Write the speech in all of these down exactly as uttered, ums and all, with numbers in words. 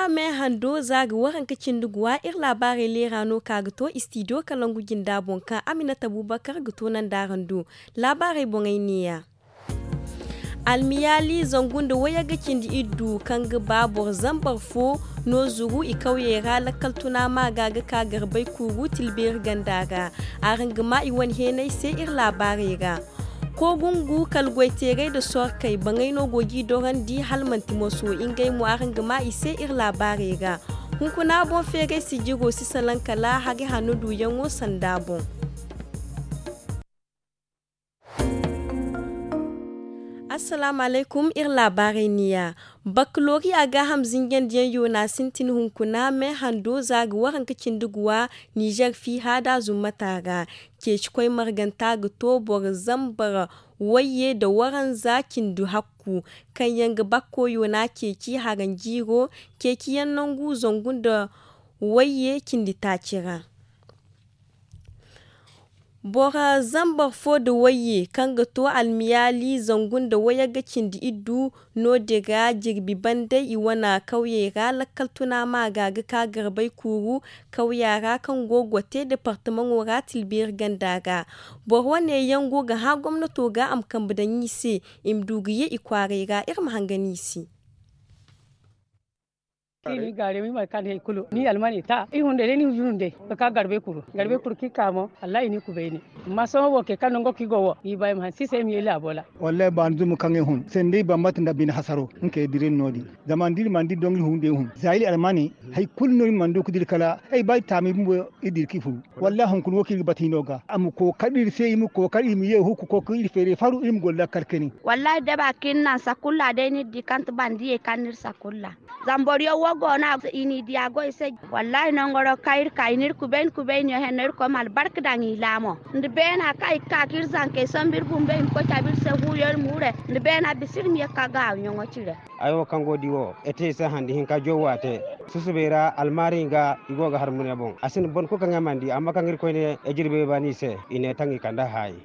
Me hando za ga waranka cindi guwa iri laabaarey leera no ka ga to istidiyo kalangu jinda boŋ kaŋ aminata bubakar ga to nanda araŋ do. Laabaarey boŋey neeya. Almiyaali zangu nda wayagga cindi iddu kaŋ ga ba boro zambar fo no zuru i kawyey ra lakkal tuna maaga ga ka garbay kuuru tilbeeri ganda ra. Araŋ ga ma i wane heenay se iri laabaarey ra. Kogungu kala goyteerey nda sorkey baŋey no go g'i dorandi hala manti moso ngey mo araŋ ga ma i se iri laabaarey ra. Hunkuna boŋ feeray sijiro si salaŋ kala hari hanno duuyaŋo sanda boŋ. Assalaamu alaykum iri laabaarey niya. Bakkaloriya gaaham zinjandiyaŋ yoona sintin hunkuna me hando za ga waranka cindi guwa nizer fiiha da zummata ra. Ceeci koy marganta ga to boro zambar wayye nda waranza cindi hakku kaŋ yaŋ ga bakko yoona ceeci haranjiiro ceeciyaŋ nangu zangu nda wayye cindi taaci ra. Boro zambar fo nda wayye kaŋ ga to almiyaali zangu nda wayagga cindi iddu no din ra jirbi banday i wane kawyey ra lakkal tuna maaga ga ka garbay kuuru kawya ra kaŋ go gote departamaŋo ra tilbeeri ganda ra. Boro wane yaŋ go ga hã gomnato ga a ma kambe daŋ i se i ma du ga ye i kwaaray ra iri ma hangan i se. I ni gaarey ma i ma kande hari kulu ni almani ta i hunday day ni hunday hunday ka ka garbay kuru garbay kuru kaŋ i ka mo wallahi i ni kubayni. Amma sohõ wo kay kaŋ nango kaŋ i go wo i ba i ma hanse i se i ma ye laabo ra. Wallahi baani zuma kaŋ i hun sanda i bambata nda bine hasaro nga kay dira iri no- din. Zama da iri mana dira doŋ iri hun day hun za iri almani hari kulu no iri mana du ga dira kala ay ba iri taami bumbo iri dira kaŋ i furu. Wallahi hunkuna wo kaŋ iri ga bata hino ga a ma kookari iri se iri ma kookari iri ma ye huku kookari iri feeray faru iri ma goro lakkal kani. Wallahi daba kaŋ iri naŋ sakulla day no iri di kaŋ ti bandiyey kaŋ no iri sakulla. Zama boro yaŋ wo go no a go i n'i diya goy se. Wallahi nangoro kaŋ iri ka i n'iri kubayni kubayniyaŋ henno iri koy ma albarka daŋ i laamo nda beena kaŋ i ga ka ka iri zankey sambu iri bumbey i ma koy cabe iri se huuyaŋ iri ma hure nda beena bisa iri ma ye ga ka gaawayaŋo cire. Ay wo kaŋ go ga di wo ay te i se handi hinka jow wo a te. Susubay ra almaari ga i go ga har mune boŋ a sinda boro kulu kaŋ ay mana di amma kaŋ iri koyne ay jirbey baani i se i ne taŋ i kande haayi.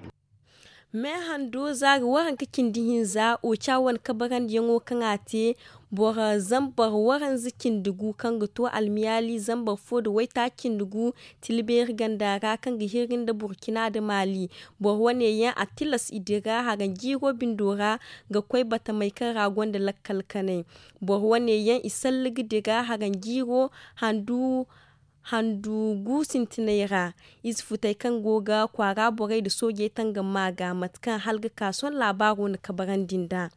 Me hando za ga waranka cindi hinza oca wane kabarandiyaŋo kaŋ a te boro zambar waranza cindi gu kaŋ ga to almiyaali zambar fo nda waytaaci cindi gu tilbeeri ganda ra kaŋ ga hirri nda burkina nda maali. Boro wane yaŋ a tilas i dira haranjiiro bindo ra ga koy batamey kaŋ ra gonda lakkal kanay. Boro wane yaŋ i salli ga dira haranjiiro handu handu gu sintinay ra. Ize futey kaŋ go ga kwaara borey nda soojey tangam ma ga mate kaŋ hala ga ka sohõ laabaaro na kabarandi nd'a.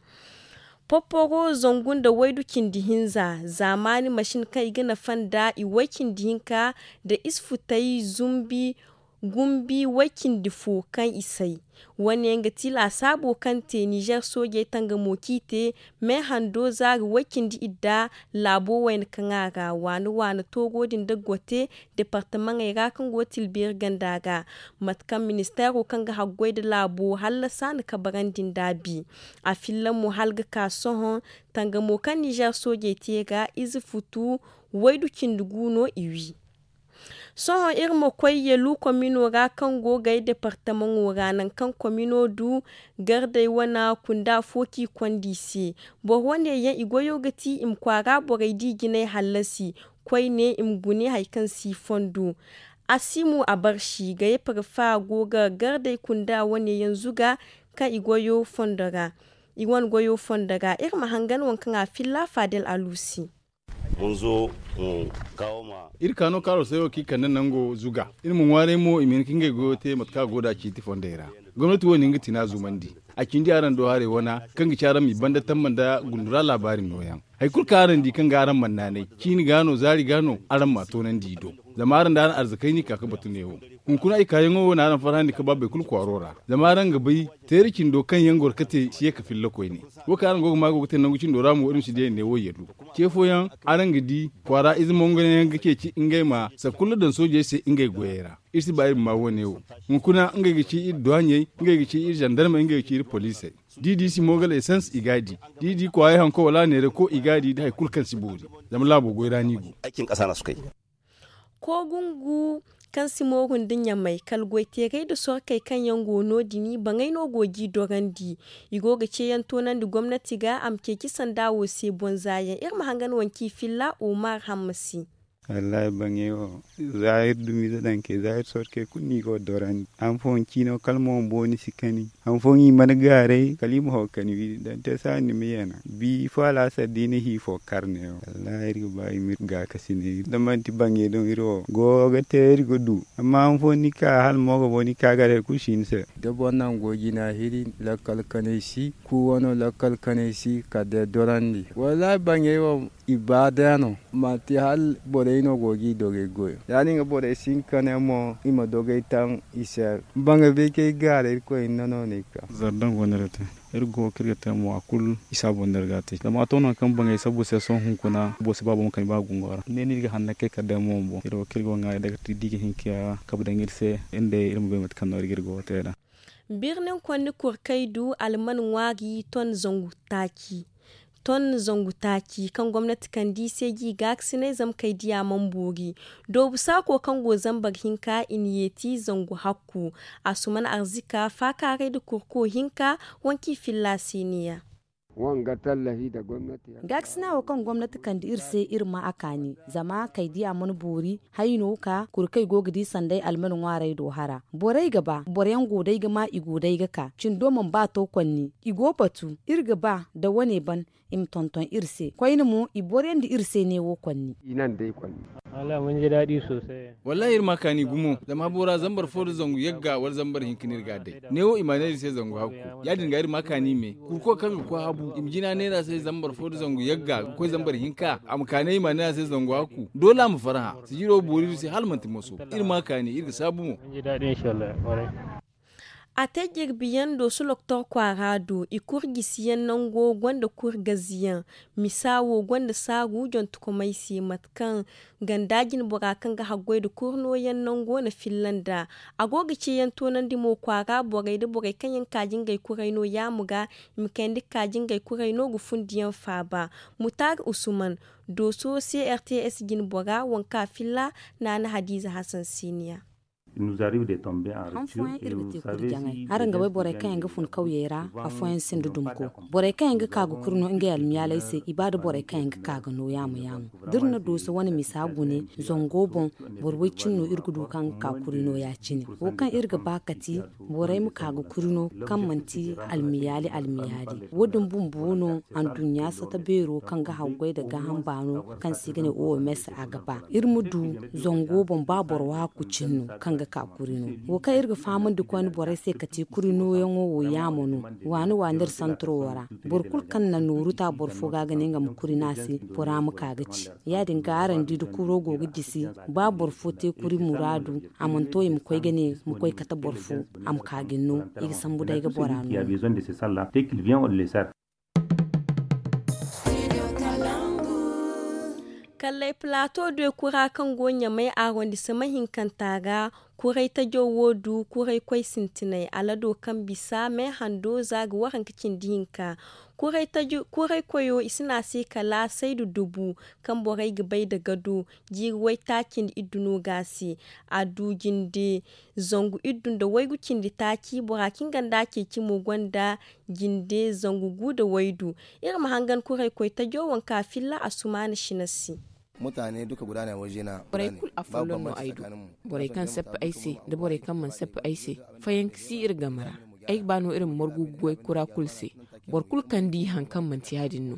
Popporo zangu nda waydu cindi hinza zaamaani masin kaŋ i ga nafa nd'a i way cindi hinka nda ize futey zumbi gumbi way cindi fo kaŋ i say. Wane yaŋ ga ti laasaabo kaŋ te nizer soojey tangamo kaŋ i te me hando zaari way cindi idda laabo wayna kaŋ a ra waana waana toogo din da gote departamaŋey ra kaŋ go tilbeeri ganda ga. Mate kaŋ ministeero kaŋ ga haggoy nda laabo hallasa na kabarandi nd'a bi. A filla mo hala ga ka sohõ tangamo kaŋ nizer soojey te ga ize futu waydu cindi gu no i wi. Sohõ iri ma koy yelu komino ra kaŋ go gay departamaŋo ra nangu kaŋ komino du gardey wane kunda fo kaŋ i konda i se. Boro wane yaŋ i goyo ga ti i ma kwaara borey da i jinay hallasi koyne i ma gune hari kaŋ si fondo. Asimu abarsi gayey parfa go ga gardey kunda wane yaŋ zuga kaŋ i goyo fondo ra. I wane goyo fondo ra iri ma hangan waŋ kaŋ a filla fadel alusi. Iri ka no kaaro sayo kaŋ i kande nango zuga iri ma ŋwaaray mo i ma hin ka ngey goyo te mate kaŋ a go nd'a ciiti fondey ra. Gomnati wo na hin ga tina zumandi a cindi araŋ do haray wana kaŋ ga ci araŋ ma i banda tamba nda gundura laabaari nooyaŋ. Hari kulu kaŋ araŋ di kaŋ ga araŋ mana naanay ciini ga no zaari ga no araŋ m'a toonandi i do. Zama araŋ da araŋ arzakey no i ka ga batu neewo. Hunkuna ay kaayaŋo wo na araŋ farhandi ka ba boro kulu kwaaro ra. Zama araŋ ga bay teeri cindo kaŋ yaŋ goro ga te si ye ga filla koyne. Wo kaŋ araŋ go ga maa go ga te nangu cindo ra mo iri ma si di ay ne wo yaddu. Ce fooyaŋ araŋ ga di kwaara ize mongonayaŋ ga ceeci ngey ma sara kulu daŋ soojey se ngey goyey ra. Iri si ba iri ma maa wo-ne wo. Hunkuna ngey ga ci iri duwaaɲey, ngey ga ci iri zandarmey, ngey ga ci iri poliisey. Da i di simon gala esans i g'a di. Da i di kwaayi hanko wala neerako i g'a di nda hari kulu kaŋ si boori. Zama laabo goy ra no i go. Koogungu kaŋ si mooru nda ɲamay kala goyteerey nda sorkey kaŋ yaŋ go no- din baŋey no go g'i dorandi. I go ga ceeyaŋ toonandi gomnati ga a ma ceeci sanda wo se bonza yaŋ iri ma hangan wanci filla omar hamma se. Wallaahi baŋey wo za iri dumiize daŋ kay za iri sorkey kulu no i go ga dorandi. Han fooyaŋ ciino kala mo booni si kani. Han fooyaŋ i mana gaaray kala i ma haw kani wi daŋ te saani ni ma yeena bi fo alaasar da i na hi fo kar neewo wallaahi iri ga ba i ma iri gaakasinay da manti baŋey doŋ iri wo go ga te iri ga du. Amma han fooyaŋ ni ka hala mo ga bo ni ka gaaray kulu si ni se. Da boro naŋ go jina hiri lakkal kanay si ku wano lakkal kanay si kala day dorandi wallaahi baŋey wo i ba day no manti hala borey no go ga i dogey goyo ya- din ga borey si hin ka ne mo i ma dogey taŋ i se. Baŋey bay kaŋ ay gaara irkoy hinne no no ay ka. Zardaŋ go no iri ga te iri go kaŋ iri ga te mo a kulu i si a boŋ no iri ga a te zama a to nangu kaŋ baŋey sabbu se sohõ hunkuna boro si ba boro ma kani ba gungo ra ne no iri ga hanna kay kala day mo boŋ iri wo kaŋ iri go ga ŋwaaray day kala day da i ga hin ka kabe daŋ iri se iri ma bay mate kaŋ no iri ga iri go ga te nd'a. Birnin konni kurkay du alman ŋwaari ton zangu taaci. Ton zangu taaci kaŋ gomnati kande i se g'i gaakasinay zama kay diya mana boori. Doobu saako kaŋ go zambar hinka i na yeeti zangu hakku. Asuman arzika faakaaray nda kurko hinka wanki filla se neeya. Gaakasina wo kaŋ gomnati kande iri se iri ma a kaani zama kay diya mana boori. Hayno ka kurkay go ga di sanday alman ŋwaaray do hara borey ga ba boro yaŋ go day ga ma i go day ga ka cindo mana ba to konni i go batu iri ga ba da wane ban i ma tonton iri se koyne mo i boriyandi iri se neewo konni. Wallaahi iri ma kaani gumo zama habo ra zambar fo nda zangu yagga wala zambar hinka no iri ga a day neewo i ma a neera se zangu hakku. Ya- din ga iri ma kaani me kurko kaŋ ga koy habu i ma jina neera se zambar fo nda zangu yagga ga koy zambar hinka a ma kaani i ma a neera se zangu hakku doole a ma farhã. Sijiro boori iri se hala manti moso iri ma kaani iri ga saabu mo. A te jirbi yaŋ dooso loktor kwaara do i kuri gisi yaŋ nango gonda kuri gazi yaŋ. Misa wo gonda saaru jontokomey se mate kaŋ ganda jinbora kaŋ ga haggoy nda kuri nooyaŋ nango na filla nd'a. A go ga ceeyaŋ toonandi mo kwaara borey nda borey kaŋ yaŋ kaaji ngey kuray no yaamo ga i ma kayandi ga kaaji ngey kuray no ga fundi yaŋ faaba. Mutaari usuman dooso crts jinbora waŋ kaŋ a filla naana hadiiza hasan siiniya. Han fooyaŋ iri ga te kuri jaŋay araŋ ga bay borey kaŋ yaŋ ga fun kawyey ra afooyaŋ sinda dumko. Borey kaŋ yaŋ ga ka ga kuri no ngey almiyaaley se i ba da borey kaŋ yaŋ ga ka ga no yaamo yaamo. Da iri na dooso wane misa gune zango boŋ boro way- cine no iri ga du kaŋ ga ka kuri no ya- cine. Wo kaŋ iri ga ba kati borey ma ka ga kuri no kaŋ manti almiyaali almiyaali. Wo- din bumbo no anduɲɲa sata beero kaŋ ga haggoy nda gaaham baano kaŋ se i ga ne oms a ga ba iri ma du zango boŋ ba boro waaku cine no kaŋ ga ka kuri no. Wo kaŋ iri ga fahamandi koyne borey se kati kuri nooyaŋo wo yaamo no. Waani waani iri santiro wo ra boro kulu kaŋ na nooru ta boro fo ga ga ne nga ma kuri no a se bora ma ka ga ci. Ya- din ga araŋ di da kuro go ga gisi ba boro fo te kuri muraadu a mana to i ma koy ga ne ma koy kate boro fo a ma ka ga ni no. I ga sambu day ga bora no. Kalley plato de kura kaŋ go ɲamay arondisama hinkanta ga. Kuray tajo wo du kuray koy sintinay alado kaŋ bisa me hando za ga waranka cindi hinka. Kuray koyo i si ne a se kala saydu dubu kaŋ borey ga bay nda gado jiiri waytaaci nda iddu no ga a se. A du jinde zangu iddu nda waygu cindi taaci bora kaŋ ganda ceeci mo gonda jinde zangu gu nda waydu. Iri ma hangan kuray koy tajo waŋ kaŋ a filla a sumaana shina se. Borey kulu afolloŋ no ay du. Borey kaŋ sappi ay se nda borey kaŋ mana sappi ay se. Fayanka si iri game ra. Ay ga ba no iri ma margu ga goy kura kulu se. Boro kulu kaŋ di hari kaŋ manti ya- din no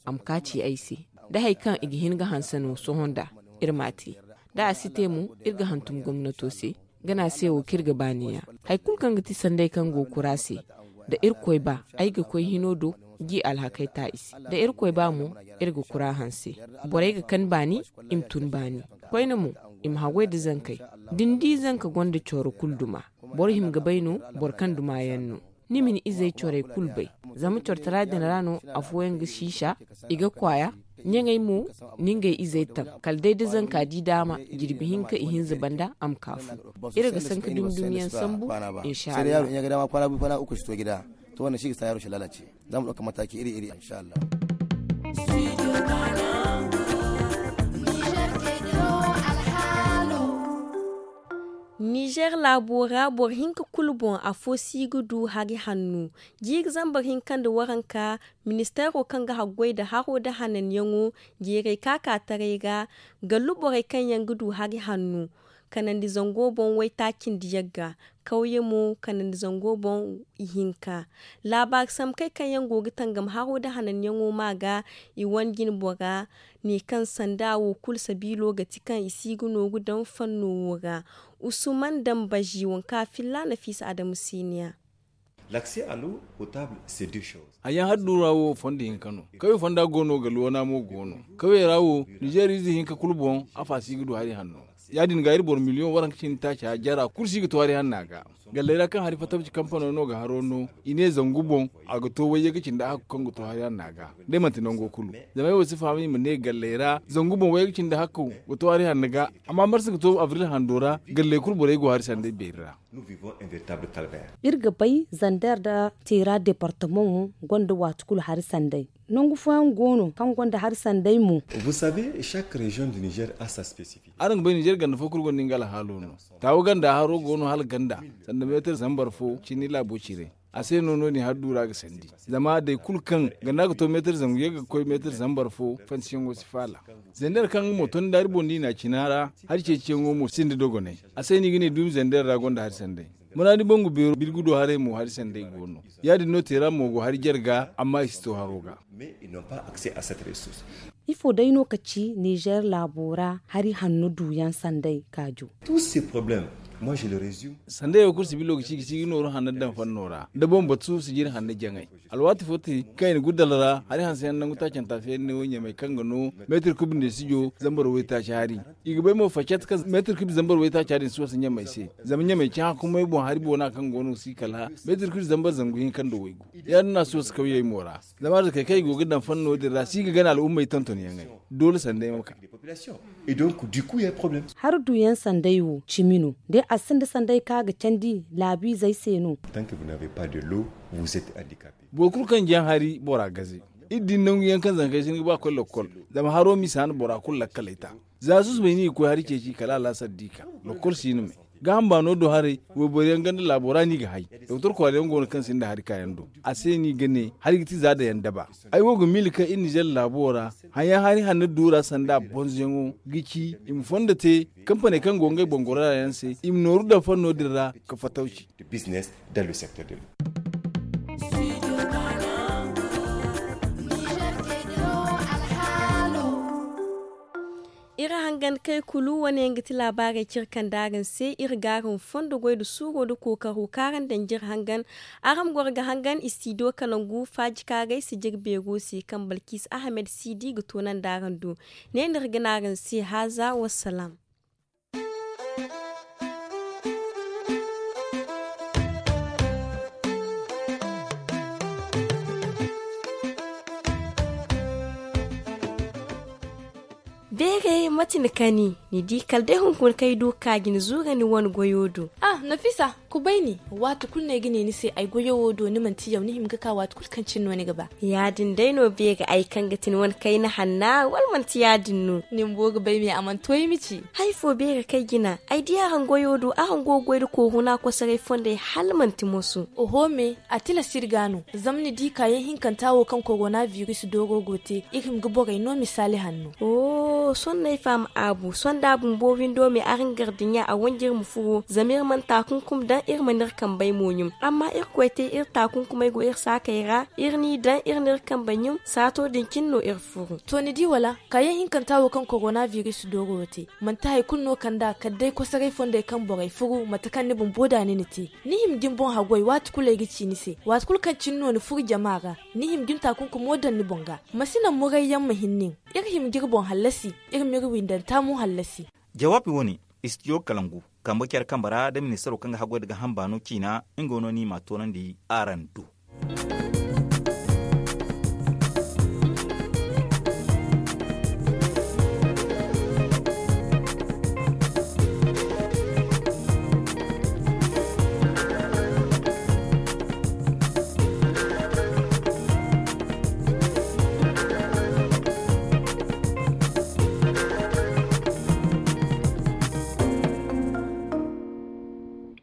a ma ka ci ay se. Da hari kaŋ i ga hin ga hanse no sohõ nd'a iri m'a te. Da a si te mo iri ga hantum gomnato se. Gana se wo kaŋ iri ga ba neeya. Hari kulu kaŋ ga ti sanday kaŋ go kura se da irkoy ba ay ga koy hino do. G'i alhakey ta i se da irkoy ba mo iri ga kura hanse. Borey ga kani baani i ma tun baani. Koyne mo i ma haggoy nda zankey. Da ni di zanka gonda coro kulu duma boro hima ga bay no. Boro kaŋ duma yaŋ no ni ma ni izey corey kulu bay. Zama cortara din ra no afooyaŋ ga siisa i ga kwaaya. Ɲaŋey mo ni ngey izey taŋ kala day da zanka di daama jirbi hinka ihinza banda a ma ka fu. Iri ga sanka dumi dumi yaŋ sambu. Inshallah. To wane si ga sa yaro shi lalace. Za mu ɗauka mataki iri iri inshallah. Studio Banangu, Niger ke diro alhaalo. Nizer laabo ra boro hinka kulu boŋ afo si ga du hari hanno. Jiiri zambar hinka nda waranka, ministeero kaŋ ga haggoy nda haro nda hananyaŋo, jeeray kaakaataray ra, gallu borey kaŋ yaŋ ga du hari hanno, kanandi zango boŋ waytaaci nda yagga, kawye mo kanandi zango boŋ ihinka. Laabaari samkey kaŋ yaŋ go ga tangam haro nda hananyaŋo maa ga, i wane jinbora ne kaŋ sanda wo kulu sabiilo ga ti kaŋ i si ga nooru daŋ fanno wo ra. Usuman dambazi wanka filla nafiisa adamu siniya. Haya hari duura wo fondo hinka no. Kawye fonda go no ga luwana mo go no. Kawye ra wo, nizeer ize hinka kulu boŋ, afa si ga du hari hanno. Ya- din ga iri boro miliyoŋ waranka cindi taaca jara kulu si ga to hari hanna ga. Galley ra kaŋ hari fatabci kampano no ga haro no, i ne zangu boŋ, a ga to wayye ga cindi hakku kaŋ ga to hari hanna ga. Day manti nango kulu, zama ay wo si faham i ma ne galley ra zangu boŋ wayye ga cindi hakku ga to hari hanna ga. Amma marsa ga to abril hando ra, galley kulu borey go hari sanday beeri ra. Iri ga bay zander nda teera departamaŋo gonda waati kulu hari sanday. Nangu fooyaŋ go no kaŋ gonda hari sanday mo. Araŋ ga bay nizer ganda fo kulu gonda nga alhaalo no. Taawu ganda haro go no hala ganda, sanda meetar zambar fo cindi laabo cire. A se no no- din hari duura ga sandi. Zama day kulu kaŋ ganda ga to meetar zangu ye ga koy meetar zambar fo, fansiyaŋo si faala. Zander kaŋ nga mo to ni daari boŋ da i na a cina ra, hari ceeciyaŋo mo sinda dogonay. A se no i ga ne duumi zander ra gonda hari sanday. Muraadi bangu beero birgudo haray mo hari sanday go no. Ya- din no teera mo go hari jare ga, amma i si to haro ga. Ifo day no ka ci nizer laabo ra hari hanno duuyaŋ sanday kaajo? Sanday wo kulu si bilo ga ci ga si ga nooru hanno daŋ fanno ra da boŋ batu sijiri hanno jaŋay. Alwaati fo te kaŋ i na gudal ra hari hanse yaŋ nangu taacanta feeri ne wo ɲamay kaŋ ga no meetir kub nda sijo zambar waytaaci hari. I ga bay mo facat kaŋ meetir kub zambar waytaaca din si wasa ɲamay se. Zama ɲamay cahã kumay boŋ hari boona kaŋ go no si kala meetir kub zambar zangu hinka nda waygu. Ya- din no a si wasa kawyey mo ra. Zama arzakey kaŋ i go ga daŋ fanno din ra si ga gana al'ummey tontonyaŋey. Doole sanday ma ka. Hari duuyaŋ sanday wo cimi no. Day a sinda sanday kaŋ a ga candi laabiizey se no. Boro kulu kaŋ jaŋ hari bora gaze. Iri din nangu yaŋ kaŋ zankey si hin ga ba ga koy lakkol. Zama haro misa no bora kulu lakkaley ta. Za susubay no i ga koy hari ceeci kala alaasar di ka. Lakkol si no me. Gaaham baano do haray, wayboro yaŋ ganda laabo ra no i ga hay. Doktor kwaara yaŋ go no kaŋ sinda hari kaayaŋ do. A se no i ga ne hari ga ti za dayaŋ daba. Ay wo ga miila kaŋ iri nizer laabo ra hayaŋ hari hanno duura sanda bonzoyaŋo ga ci i ma fondo te. Kampaney kaŋ go ngey boŋ goro ra yaŋ se i ma nooru daŋ fanno din ra ka fatawci. Iri hangan kay kulu wane yaŋ ga ti laabaarey cire kaŋ da araŋ se iri ga araŋ fondo goy nda suuro nda kookaro kaŋ araŋ daŋ jire hangan. Araŋ ma goro ga hangan istidiyo kalangu faaji kaarey sijiri beero se kaŋ balkis ahamed siidi ga toonandi araŋ do. Ne no iri ga ne araŋ se haaza wassalaam. Beeray mate ni kani? Ni di kala day hunkuna kaŋ ay du ga ka ga ni zuura ni wane goyo do. Ah, nafisa, kubay ni. Waati kulu no ay ga ne ni se ay goyo wo do ni manti yaw ni hima ga ka waati kulu kaŋ cine no ni ga ba. Ya- din day no beeri ay kaŋ ga ti ni wane kayna hanna wala manti ya- din no? Ni bumbo ga bay me a mana to ay ma ci. Hari fo beeri kaŋ ay jina ay di araŋ goyo do araŋ go ga goy nda kooruna kosoray fondey hala manti moso. Oho me, a tilas iri ga no. Zama ni di kaayaŋ hinkanta wo kaŋ korona biris dooro go te iri hima ga borey no misaali hanno. Sohõ no ay faham aabu sohõ da a bumbo windo me araŋ gardiɲa a wanjir ma furo zama iri mana taakunkum daŋ iri mana iri kambey mo ɲum. Amma irkoy te iri taakunkumey go iri saakey ra iri n'i daŋ iri n'iri kambe ɲum saato din cine no iri furu. To ni di wala? Kaayaŋ hinkanta wo kaŋ korona biris dooro te manti hari kulu no kand'a kala day kosoray fondey kaŋ borey furu mate kaŋ ni bumbo da ni na te. Ni hima ga ni boŋ haggoy waati kulu ay ga ci ni se waati kulu kaŋ cine no ni furu jama ra. Ni hima ga ni taakunkumo daŋ ni boŋ ga. Ma si naŋ murayyaŋ ma hin nin. Iri hima ga iri boŋ hallasi. Iri m'iri windanta mo hallasi. Jawaabi wane, istidiyo kalangu, kambe care kambe ra nda ministaro kaŋ ga haggoy nda gaaham baano ciina nga no no i m'a toonandi araŋ do.